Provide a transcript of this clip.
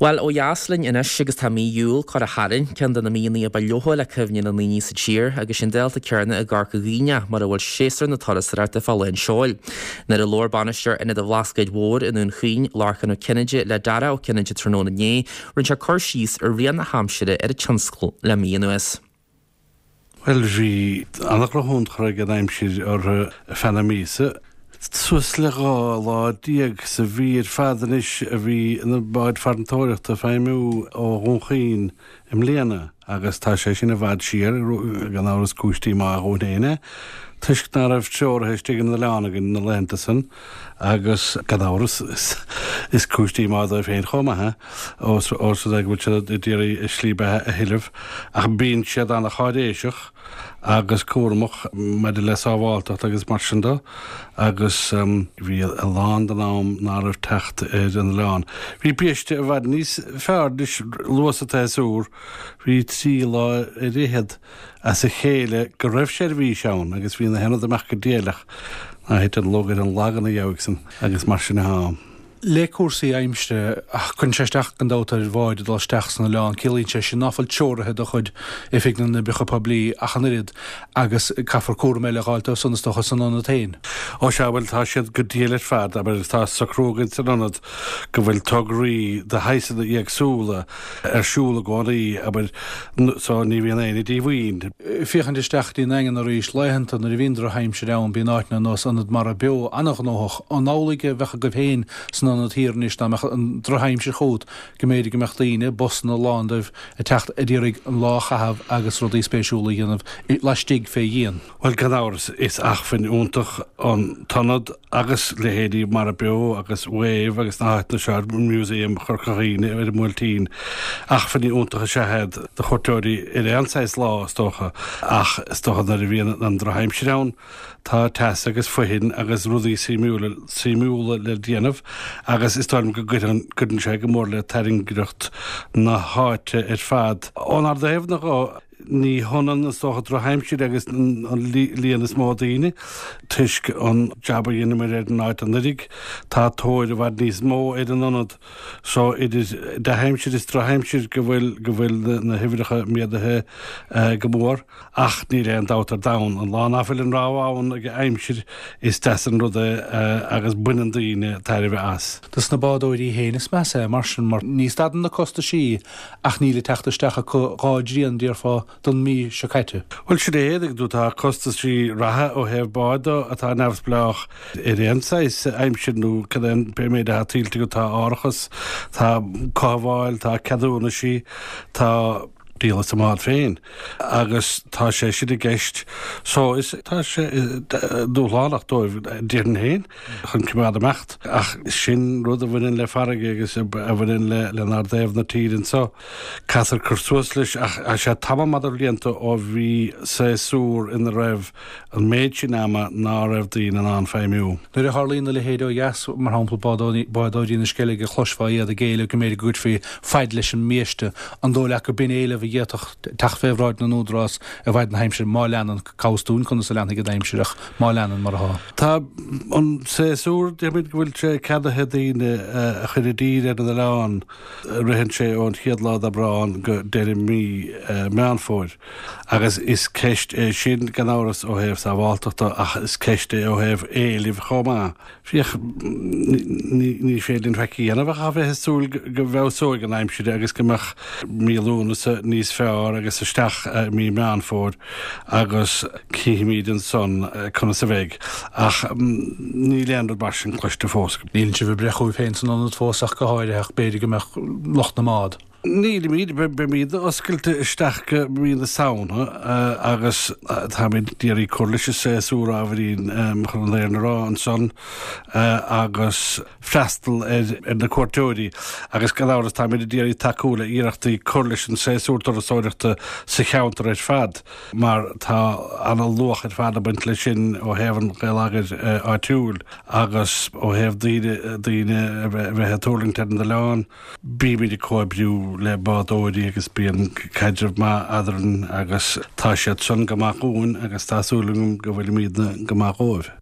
Bhuel, ó dheas linn anois agus tá mí Iúil curtha tharainn, ceann de na míonna a ba leoithne le cuimhne na ndaoine sa tír, agus sin dálta céanna i gCorca Dhuibhne, mar a bhfuil séasúr na turasóireachta fá lán seoil. Nuair a labhair bainisteoir Ionad an Bhlascaoid Mhóir i nDún Chaoin, Lorcán Ó Cinnéide, le Darach Ó Cinnéide tráthnóna inné, rinne sé cur síos ar rian na haimsire ar an tionscal le mí anuas. Bhuel, bhí an-dhrochthionchar ag an aimsir orthu ar feadh na míosa. Suas le 12 lá sa mhí ar fad anois a bhí na báid farantóireachta ag feidhmiú ó Dhún Chaoin i mbliana agus tá sé sin i bhfad siar, gan amhras cúis díomá dhúinn féin é, toisc ná raibh treoraithe istigh ar an oileán againn na laethanta san agus gan amhras is cúis díomá dóibh féin chomh maith é. Ós rud é go bhfuil siad ag iarraidh a slí beatha a thuilleamh, ach bíonn siad an-cháiréiseach agus cúramach maidir le sábháilteacht agus mar sin de, agus bhí a lán den am ná raibh teacht ar an oileán. Bhí biaiste i bhfad níos fearr anois luath sa tséasúr, bhí 3 lá ar fhichead as a chéile go raibh seirbhís ann agus bhí na haon rud amach go diailleach, ná thit an lug ar an lag ina dheabhaidh san agus mar sin atá. Le cúrsaí aimsire, cuireann sé isteach gan dabht ar bháid ag dul isteach san oileán. Ciallaíonn sé sin ná fuil treoraithe de chuid Oifig na nOibreacha Poiblí ach an oiread agus caithfear cúram eile a dh'fháilt dóibh san is dócha san ionad féin. Ó sea, bhuel tá siad go diail ar fad, abair, tá socrú againn san ionad go bhfuil tograí de shaghsanna éagsúla ar siúl i gcónaí, abair, so ní bhíonn éinne díomhaoin. Féachaint isteach go dtí an nDaingean arís, laethanta nuair a bhíonn drochaimsir ann, bíonn áiteanna ar nós Ionad Mara Beo an-ghnóthach. An amhlaidh a bheadh agaibh féin san ionad thiar anois dá mbeadh an drochaimsir chugat, go mb'fhéidir go mbeadh daoine, busanna lán dóibh, ag teacht ag iarraidh an lá a chaitheamh agus rudaí spéisiúla a dhéanamh laistigh fé dhíon? Bhuel, gan amhras, is acmhainn iontach an t-ionad agus leithéidí Mara Beo agus Wave agus na háiteanna seo, Museum Chorca Dhuibhne ar an mBuailtín. Acmhainní iontacha is ea iad do chuairteoirí ar aon saghas lá, is dócha, ach is dócha nuair a bhíonn an drochaimsir ann, tá teas agus foithin agus rudaí suimiúla le déanamh agus is dóigh liom go gcuireann sé go mór le tairngreacht na háite ar fad. Ónár dtaobh-na dho, Ní hionann, is dócha, drochaimsir agus an líon is mó daoine, toisc an jab a dheineamar ar an áit anuraidh. Tá tóir i bhfad níos mó ar an ionad so idir dea-aimsir is drochaimsir go bhfuil go bhfuil na huimhreacha méadaithe go mór. Ach níl aon dabht ar domhan, an lá ná fuil an rogha ann ag an aimsir, is deas an rud é agus baineann daoine tairbhe as. Dos na bádóirí féin is measa é mar sin, mar ní stadann na costaisí Ach níl ag teacht isteach acu dhá dtrian, déarfá, don mhí seo caite. Bhuel, sin é, tuigeann tú, tá costaisí reatha ó thaobh báid de atá neamhspleách ar aon saghas aimsir nó cad é an pé méid atá tuillte acu, tá árachas, tá cothabháil, tá ceadúnaisí, tá díol as an mbád féin agus tá sé sin i gceist. So is tá sé dúshlánach dóibh, déarfainn féin. chun coimeád ag imeacht. Ach sin rud a bhaineann le farraige agus a bhaineann lenár dtaobh na tíre anseo. Caithfear cur suas leis ach tá sé tamall maith de bhlianta ó bhí séasúr ina raibh an méid sin ama ná raibh daoine in ann feidhmiú. Nuair a tharlaíonn a leithéid ó dheas, mar shampla bádóirí na Sceilge, chloisfeá iad ag éileamh go mb'fhéidir go gcuirfí faid leis an mbiaiste. An dóigh leat go b'in éileamh a d'fhéadfadh teacht fé bhráid na n-údarás i bhfaid na haimsire má leanann, cá bhfios dúinn conas a leanfaidh an aimsir ach má leanann mar atá. Tá an séasúr, déarfaimid go bhfuil sé ceadaithe daoine a chur i dtír ar an oileán, ritheann sé ón chéad lá d'Aibreán go deireadh mí Meán Fómhair. Agus is ceist é sin gan amhras ó thaobh sábháltachta ach is ceist é ó thaobh éilimh chomh maith. Féach, ní féidir linn faic a dhéanamh ach a bheith ag súil go bhfeabhsóidh an aimsir agus go mbeadh mí Lúnasa níos fearr agus isteach i mí Meán Fómhair agus cífimid ansan conas a bheidh. Ach níl aon rud mar sin cloiste fós. Níl sibh ag breith chugaibh féin san ionad fós ach go háirithe ach b'fhéidir go mbeadh lucht na mbád. Nílimid, beimid oscailte isteach go mí na Samhna agus táimid d'iarraidh cur leis an séasúr ábhairín chun an fhírinne a rá ansan agus freastal ar na cuairteoirí agus gan amhras táimid ag iarraidh tacú le iarrachtaí cur leis an séasúr turasóireachta sa cheantar ar fad mar tá ana-luach ar fad ag baint leis sin ó thaobh an gheilleagair áitiúil agus ó thaobh daoine daoine a bheith ag tuirlingt ar an oileán. Bímid ag comhoibriú le bádóirí agus bíonn caidreamh maith eadrainn agus tá siad san go maith dhúinn agus tá súil agam go bhfuilimídne go maith dhóibh.